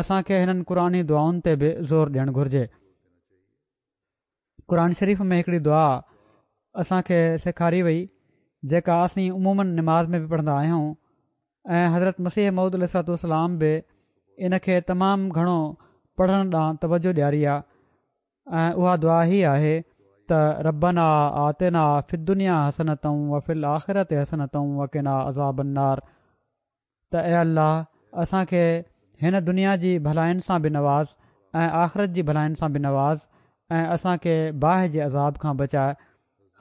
اسان کي هنن قرآني دعائن تي به زور ڏيڻ گهرجي. قرآن شريف ۾ هڪڙي دعا اسان کي سيکاري وئي جيڪا اسين عموماً نماز ۾ به پڙهندا آهيون ۽ حضرت مسيح موعود عليه الصلوة والسلام به ان کي تمام گهڻو پڙهڻ ڏانهن توجه ڏياري آهي ۽ اها دعا هي آهي ته ربنا آتنا في الدنيا حسنة وفي الآخرة حسنة وقنا عذاب النار، ته اي الله اسان کي هن دنيا جي ڀلائين سان به نواز ۽ آخرت جي ڀلائين سان به نواز ۽ اسان کي باهه جي عذاب کان بچاء.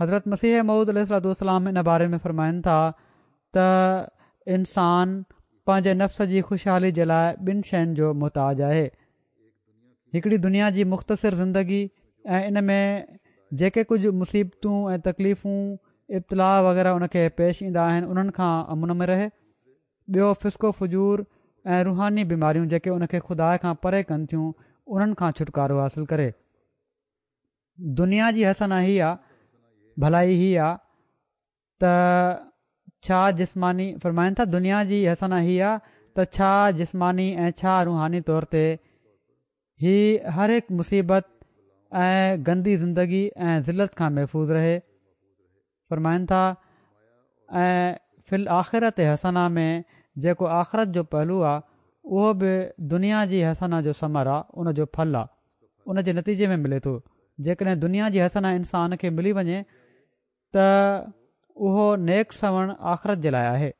حضرت مسيح موعود عليه الصلوة والسلام ان باري ۾ فرمائن ٿا ته انسان پنهنجي نفس جي خوشحالي جي لاء ٻن شين جو محتاج آهي، هڪڙي دنيا جي مختصر زندگي ۽ ان ۾ جيڪي ڪجهه مصيبتون ۽ تڪليفون ابتلاء وغيره ان کي پيش ايندا آهن انهن کان امن ۾ رهي، ٻيو فسق و فجور ۽ روحاني بيماريون جيڪي ان کي خدا کان پري ڪن ٿيون انهن کان ڇوٽڪارو حاصل ڪري. دنيا جي حسنه هي آ، ڀلائي هي آ ته ڇا جسماني، فرمائن ٿا دنيا جي حسنه هي آ ته ڇا جسماني ۽ ڇا روحاني طور تي هي هر هڪ مصيبت ۽ گندي زندگي ۽ ذلت کان محفوظ رهي. فرمائن ٿا ۽ في الآخرت حسنه ۾ جيڪو آخرت جو پهلو آ اهو به دنيا جي حسنه جو ثمر آ، ان جو ڦل آ، ان جي نتيجي ۾ ملي ٿو. جيڪڏهن دنيا جي حسنه انسان کي ملي وڃي ته اهو نيڪ سوڻ آخرت جي لاء آهي.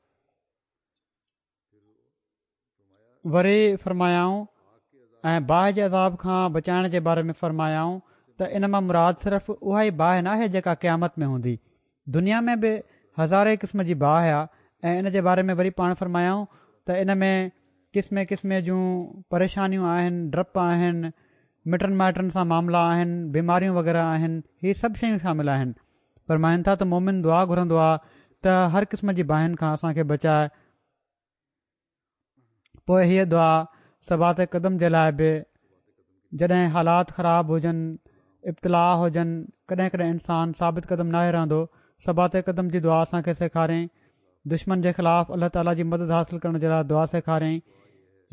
وري فرمايائون ۽ باهه جي عذاب کان بچائڻ جي باري ۾ فرمايائون ته ان مان مراد صرف اها ئي باهه ناهي جيڪا قيامت ۾ هوندي، دنيا ۾ به هزارين قسم جي باهه آهي ۽ ان جي باري ۾ وري پاڻ فرمايائون ته ان ۾ قسمين قسمين جون پريشانيون آهن، ڊپ آهن، مٽن مائٽن سان معاملا آهن، بيماريون وغيره آهن، هي سڀ شيون شامل آهن. فرمائن ٿا ته مومن دعا گهرندو آهي ته هر قسم جي باهين کان اسان کي بچاء. پوء هيء دعا ثبات قدم جي لاء به جڏهن حالات خراب هجن، ابتلاء هجن، ڪڏهن ڪڏهن انسان ثابت قدم ناهي رهندو، ثبات قدم جي دعا اسان کي سيکاريائين. دشمن جي خلاف الله تعاليٰ جي مدد حاصل ڪرڻ جي لاء دعا سيکاريائين.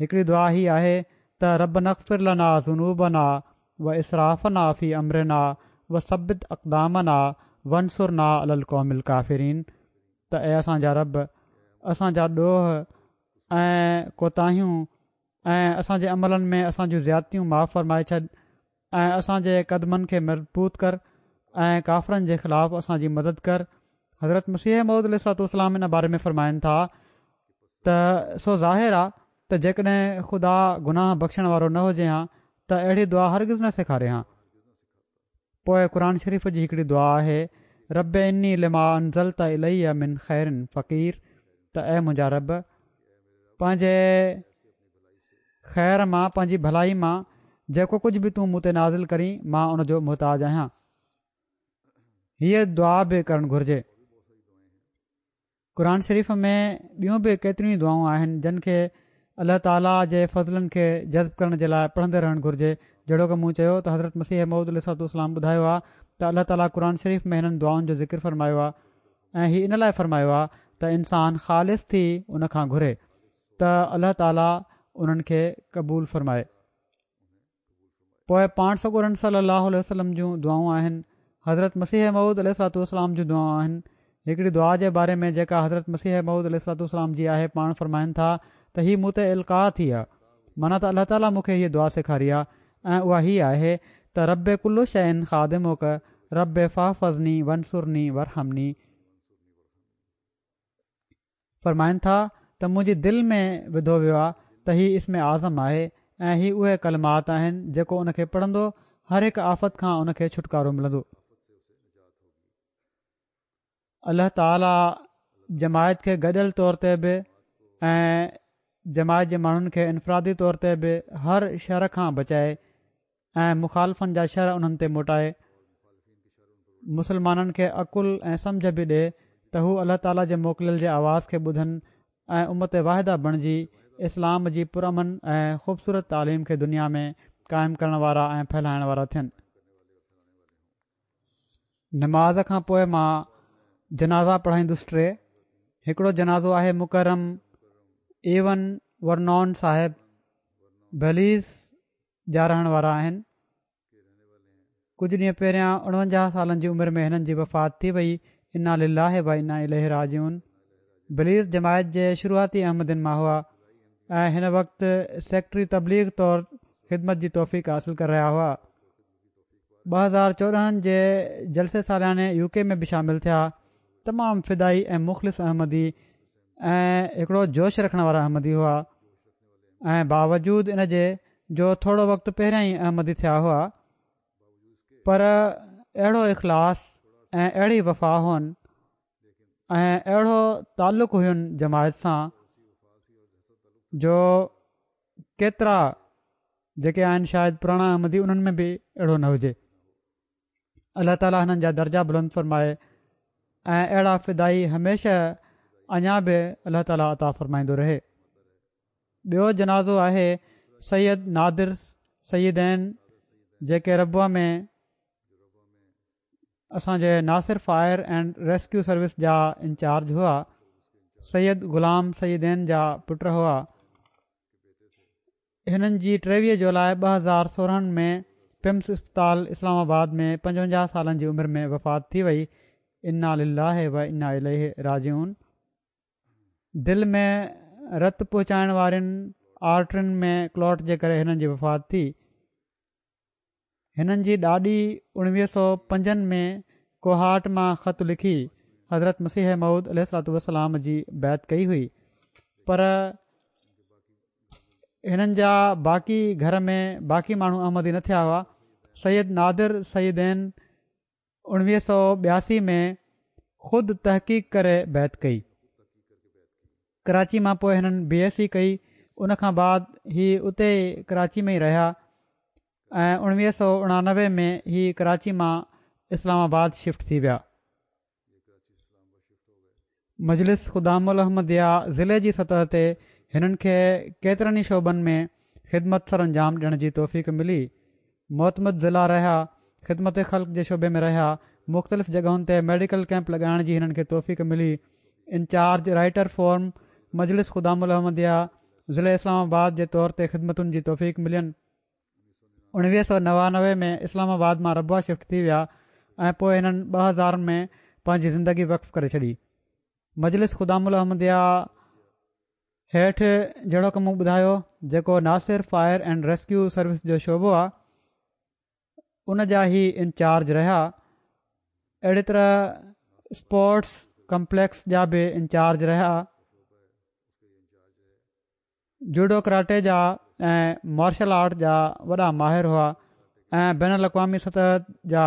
هڪڙي دعا هي آهي ته ربنا اغفر لنا ذنوبنا واسرافنا في امرنا وثبت اقدامنا وانصرنا علي القوم الڪافرين، ته اي اسان جا رب اسان جا ڏوهه ۽ ڪوتاهيون ۽ اسان جي عملن ۾ اسان جون زيادتيون معاف فرمائي ڇڏ ۽ اسان جي قدمن کي مضبوط ڪر ۽ ڪافرن جي خلاف اسان جي مدد ڪر. حضرت مسيح موعود عليه الصلوة والسلام ان باري ۾ فرمائن ٿا ته سو ظاهر آ ته جيڪڏهن خدا گناهه بخشڻ وارو نه هجي ها ته اهڙي دعا هرگز نه سيکاري ها. پوء قرآن شريف جي هڪڙي دعا آهي رب اني لما انزلت الي من خير فقير، ته اي منهنجا رب پنهنجي خير مان پنهنجي ڀلائي مان جيڪو ڪجهه به تون مون تي نازل ڪرين مان ان جو محتاج آهيان. هيء دعا به ڪرڻ گهرجي. قرآن شريف ۾ ٻيون به ڪيتريون ئي دعائون آهن جن کي الله تعاليٰ جي فضلن کي جذب ڪرڻ جي لاء پڙهندي رهڻ گهرجي. جهڙوڪ مون چيو ته حضرت مسيح موعود عليه الصلوة والسلام ٻڌايو آهي ته الله تعاليٰ قرآن شريف ۾ هنن دعائن جو ذڪر فرمايو آهي ۽ هي ان لاء فرمايو آهي ته انسان خالص ٿي ان کان گهري ته الله تعاليٰ انهن کي قبول فرمائي. پوء پاڻ سڳورن صلي الله عليه وسلم جون دعائون آهن، حضرت مسيح موعود عليه الصلوة والسلام جون دعائون آهن. هڪڙي دعا جي باري ۾ جيڪا حضرت مسيح موعود عليه الصلوة والسلام جي آهي، پاڻ فرمائن ٿا ته هي مون تي القاء ٿي آ، معنيٰ ته الله تعاليٰ مون کي هيء دعا سيکاري آ ۽ اها هي آهي ته رب ڪل شيء خادمڪ رب فاحفظني وانصرني وارحمني. فرمائن ٿا ته منهنجي دل ۾ وڌو ويو آ ته هي اسم اعظم آهي ۽ هي اهي ڪلمات آهن جيڪو ان کي پڙهندو هر هڪ آفت کان ان کي ڇوٽڪارو ملندو. الله تعالي جماعت کي گڏيل طور تي به ۽ جماعت جي ماڻهن کي انفرادي طور تي به هر شر کان بچائي ۽ مخالفن جا شر انهن تي موٽائي. مسلمانن کي عقل ۽ سمجهه به ڏي ته هو الله تعالي جي موڪليل جي آواز کي ٻڌن ۽ امت واحده بڻجي اسلام جي پرامن ۽ خوبصورت تعليم کي دنيا ۾ قائم ڪرڻ وارا ۽ ڦهلائڻ وارا ٿين. نماز کان پوء مان جنازا پڙهائيندس ٽي. هڪڙو جنازو آهي مڪرم ايون ورنون صاحب بليز جا رهڻ وارا آهن. ڪجهه ڏينهن پهريان اڻونجاهه سالن جي عمر ۾ هنن جي وفات ٿي وئي. انا لله و انا اليه راجعون. بليز جماعت جي شروعاتي احمدين مان هئا ۽ هن وقت سيڪريٽري تبليغ طور خدمت جي توفيق حاصل ڪري رهيا هئا. ٻه هزار چوڏهن جي جلسي سالياني يو ڪي ۾ به شامل ٿيا. تمام فدائي ۽ مخلص احمدي ۽ هڪڙو جوش رکڻ وارا احمدي هئا ۽ باوجود ان جي جو ٿورو وقت پهريان ئي احمدي ٿيا هئا پر اهڙو اخلاص ۽ اهڙي وفا هئن ۽ اهڙو تعلق هين جماعت سان جو ڪيترا جيڪي آهن شايد پراڻا احمدي انهن ۾ به اهڙو نه هجي. الله تعالي هنن جا درجا بلند فرمائي ۽ اهڙا فدائي هميشه اڃا به الله تعالي عطا فرمائيندو رهي. ٻيو جنازو آهي سيد نادر سيدين جيڪي ربوه ۾ اسان جي Nasir fire and rescue service جا انچارج هئا. سيد غلام سيدين جا پٽ هئا. هنن جي ٽيويهه جولاء ٻه هزار سورهن ۾ پمز اسپتال اسلام آباد ۾ پنجونجاهه سالن جي عمر ۾ وفات ٿي وئي. انا لله و انا اليه راجعون. دل ۾ رت پهچائڻ وارين آرٽرين ۾ ڪلاٽ جي ڪري هنن جي وفات ٿي. هنن جي ڏاڏي اڻويهه سؤ پنجن ۾ ڪوهاٽ مان خط لکي حضرت مسيح موعود عليه الصلوة والسلام جي بيعت ڪئي هئي پر هنن جا باقي گهر ۾ باقي ماڻهو احمدي نه ٿيا هئا. سيد نادر سيدين اڻويهه سؤ ٻياسي ۾ خود تحقيق ڪري بيعت ڪئي. ڪراچي مان پوء هنن بي ايس سي ڪئي ان کان بعد هي اتي ڪراچي ۾ ئي رهيا ۽ اڻويهه سؤ اڻانوي ۾ هي ڪراچي مان اسلام آباد شفٽ ٿي ويا. مجلس خدام الاحمديه ضلعي جي سطح تي هنن کي ڪيترن ئي شعبن ۾ خدمت سر انجام ڏيڻ جي توفيق ملي. معتمد ضلع رهيا، خدمت خلق جي شعبي ۾ رهيا، مختلف جڳهن تي ميڊيڪل ڪئمپ لڳائڻ جي هنن کي توفيق ملي. انچارج رائٽر فورم مجلس خدام الاحمديه ضلعي اسلام آباد جي طور تي خدمتن جي توفيق ملين. اڻويهه سؤ نوانوي ۾ اسلام آباد مان ربوه شفٽ ٿي ويا ۽ پوء هنن ٻه هزار ۾ پنهنجي زندگي وقف ڪري ڇڏي. مجلس خدام الاحمديه هيٺ جهڙوڪ مون ٻڌايو جيڪو Nasir fire and rescue service جو شعبو آ ان جا هي انچارج رهيا. اهڙي طرح اسپورٽس ڪمپليڪس جا به انچارج رهيا. جوڊو ڪراٽي جا ۽ مارشل آرٽ جا وڏا ماهر هئا ۽ بين الاقوامي سطح جا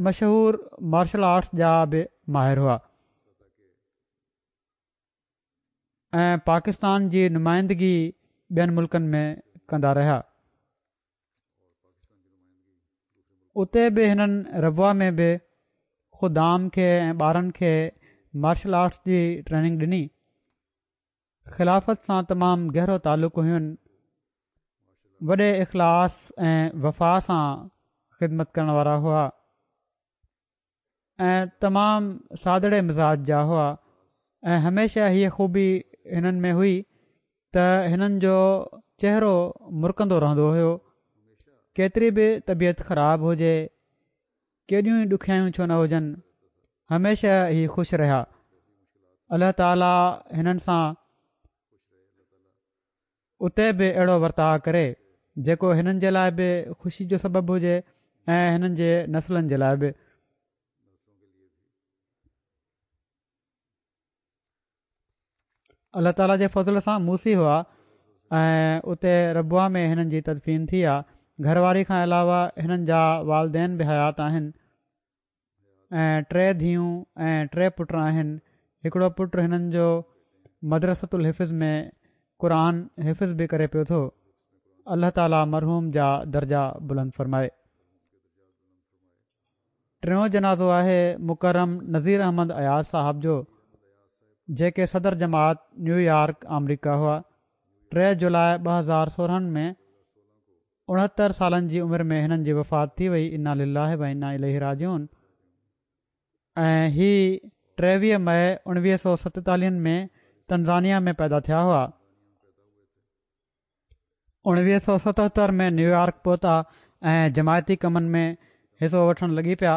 مشهور مارشل آرٽس جا به ماهر هئا ۽ پاڪستان جي نمائندگي ٻين ملڪن ۾ ڪندا رهيا. اتي به هنن ربوه ۾ به خدام کي ۽ ٻارن کي مارشل آرٽس جي ٽريننگ ڏني. خلافت سان تمام گهرو تعلق هين. وڏي اخلاص ۽ وفا سان خدمت ڪرڻ وارا هئا ۽ تمام سادڙي مزاج جا هئا ۽ هميشه هيء خوبي هنن ۾ هئي ته هنن جو چهرو مرڪندو رهندو هيو. ڪيتري به طبيعت خراب هجي، ڪيڏيون ئي ڏکيائيون ڇو نه هجن، هميشه هي خوش رهيا. الله تعاليٰ هنن سان اتي به اهڙو ورتاءُ ڪري جيڪو هنن جي لاءِ به خوشي جو سبب هجي ۽ هنن جي نسلن جي لاءِ به. الله تعاليٰ جي فضل سان موسي هئا ۽ اتي ربوه ۾ هنن جي تدفين ٿي آهي. گهر واري کان علاوه هنن جا والدين به حيات آهن ۽ ٽي ڌيئون ۽ ٽي پٽ آهن. هڪڙو پٽ هنن جو مدرسة الحفظ ۾ قرآن حفظ به ڪري پيو ٿو. الله تعاليٰ مرحوم جا درجا بلند فرمائي. ٽيون جنازو آهي مڪرم نذير احمد اياز صاحب جو، جيڪي صدر جماعت نيويارڪ آمريڪا هئا. ٽي جولاءِ ٻه هزار سورهن ۾ اڻهتر سالن جي عمر ۾ هنن جي وفات ٿي وئي. انا لله و انا اليه راجعون. ۽ هي ٽيويهه مئي اڻويهه سؤ ستيتاليهن ۾ تنزانيا ۾ پيدا ٿيا هئا. اڻويهه سؤ ستهتر ۾ نيويارڪ پهتا ۽ جماعتي ڪمن ۾ حصو وٺڻ لڳي پيا.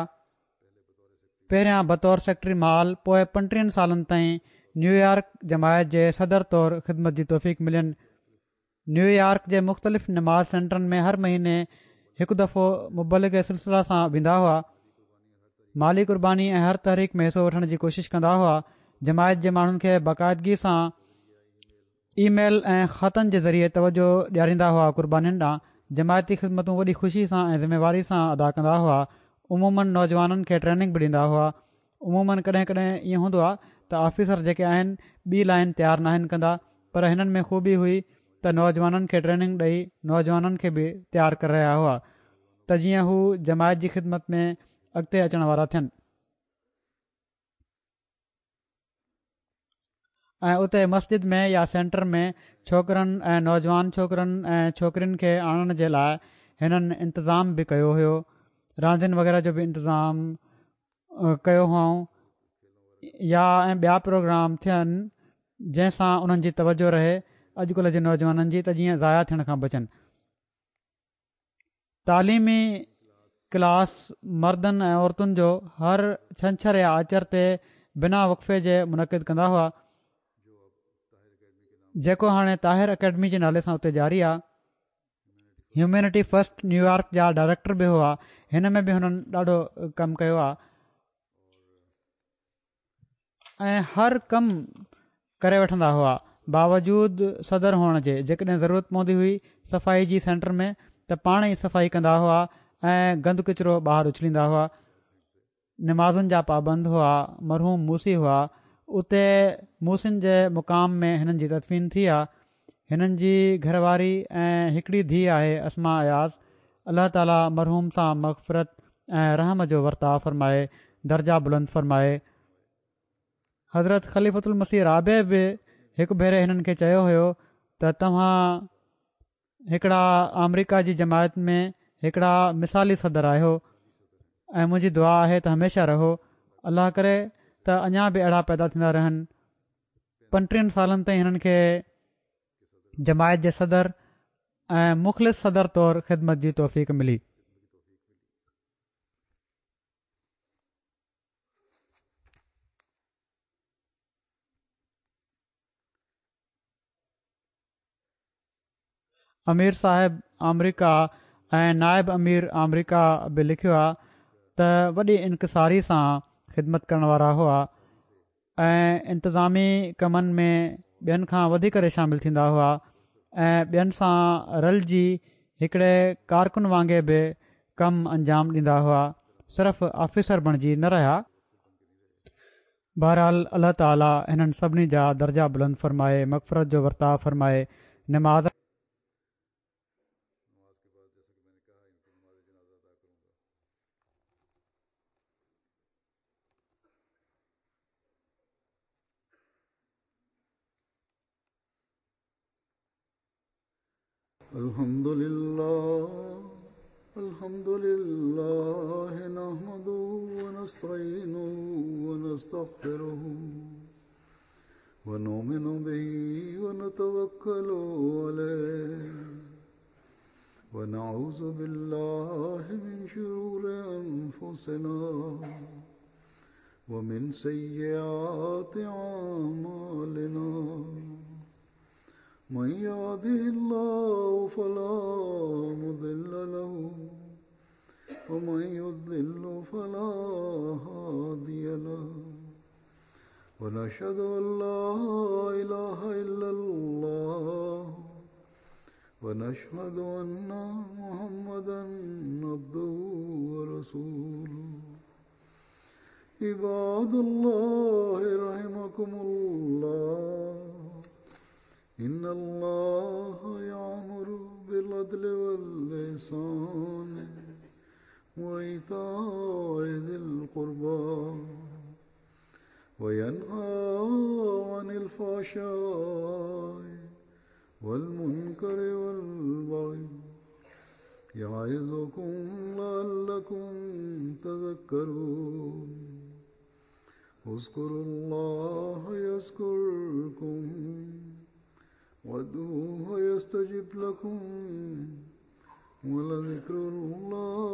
پهريان بطور سيڪريٽري مال، پوءِ پنٽيهن سالن تائين نيويارڪ جماعت جي صدر طور خدمت جي توفيق ملين. نيويارڪ جي مختلف نماز سينٽرن ۾ هر مهيني هڪ دفعو مبلغ سلسله سان ويندا هئا. مالي قرباني ۽ هر تحريڪ ۾ حصو وٺڻ جي ڪوشش ڪندا هئا. جماعت جي ماڻهن کي باقاعدگي سان اي ميل ۽ خطن جي ذريعي توجه ڏياريندا هئا قربانين ڏانهن. جماعتي خدمتون وڏي خوشي سان ۽ ذميواري سان ادا ڪندا هئا. عموماً نوجوانن کي ٽريننگ به ڏيندا هئا. عموماً ڪڏهن ڪڏهن ائين هوندو آهي ته آفيسر جيڪي آهن ٻي لائن تيار ناهن ڪندا، پر هنن ۾ خوبي هئي ته نوجوانن کي ٽريننگ ڏئي نوجوانن کي به تيار ڪري رهيا هئا ته جيئن هو جماعت جي خدمت ۾ اڳتي اچڻ وارا ٿين. ۽ اتي مسجد ۾ يا سينٽر ۾ ڇوڪرن ۽ نوجوان ڇوڪرن ۽ ڇوڪرين کي آڻڻ جي لاءِ هنن انتظام به ڪيو هيو. راندين وغيره جو به انتظام ڪيو هئائون يا ۽ ٻيا پروگرام ٿين جنهن سان انهن جي توجه رهي اڄڪلهه جي نوجوانن جي، ته جيئن ضايع ٿيڻ کان بچن. تعليمي ڪلاس مردن ۽ عورتن جو هر ڇنڇر يا آچر تي بنا وقفي جي منعقد ڪندا هئا، جيڪو هاڻي طاهر اڪيڊمي جي نالي سان اتي جاري آهي. هيومينٽي فرسٽ نيويارڪ جا ڊائريڪٽر به هئا. هن ۾ به هنن ڏاڍو ڪم ڪيو آهي ۽ هر ڪم ڪري وٺندا هئا باوجود صدر هئڻ جي. جيڪڏهن ضرورت پوندي هئي صفائي جي سينٽر ۾ ته پاڻ ئي صفائي ڪندا هئا ۽ گند ڪچرو ٻاهر اڇليندا هئا. نمازن جا پابند هئا. مرحوم موسي هئا. اتي موسين جي مقام ۾ هنن جي تدفين ٿي آهي. هنن جي گهر واري ۽ هڪڙي ڌيءَ آهي اسما اياز. الله تعاليٰ مرحوم سان مغفرت ۽ رحم جو ورتاءُ فرمائي، درجا بلند فرمائي. حضرت خليفة المسيح رابع به هڪ ڀيري هنن کي چيو هيو ته توهان هڪڙا آمريڪا جي جماعت ۾ هڪڙا مثالي صدر آهيو ۽ منهنجي دعا آهي ته هميشه رهو. الله ڪري ته اڃا به اهڙا پيدا ٿيندا رهن. پنٽيهن سالن تائين هنن کي جماعت جي صدر ۽ مخلص صدر طور خدمت جي توفيق ملي. امير صاحب آمريڪا ۽ نائب امير آمريڪا به لکيو آهي ته وڏي انڪساري سان خدمت ڪرڻ وارا هئا ۽ انتظامي ڪمن ۾ ٻين کان وڌي ڪري شامل ٿيندا هئا ۽ ٻين سان رلجي هڪڙي ڪارڪن وانگي به ڪم انجام ڏيندا هئا، صرف آفيسر بڻجي نه رهيا. بهرحال الله تعاليٰ هنن سڀني جا درجا بلند فرمائي، مغفرت جو ورتاءُ فرمائي. نماز الحمد لله الحمد لله نحمده ونستعينه ونستغفره ونؤمن به ونتوكل عليه ونعوذ بالله من شرور أنفسنا ومن سيئات أعمالنا من يهده الله فلا مضل له ومن يضلل فلا هادي له ونشهد أن لا إله إلا الله ونشهد أن محمدا عبده ورسوله. عباد الله رحمكم الله، إن الله يأمر بالعدل والإحسان وإيتاء ذي القربى وينهى عن الفحشاء والمنكر والبغي يعظكم لعلكم تذكرون. اذكروا الله يذكركم وادعوه يستجب لكم ولذكر الله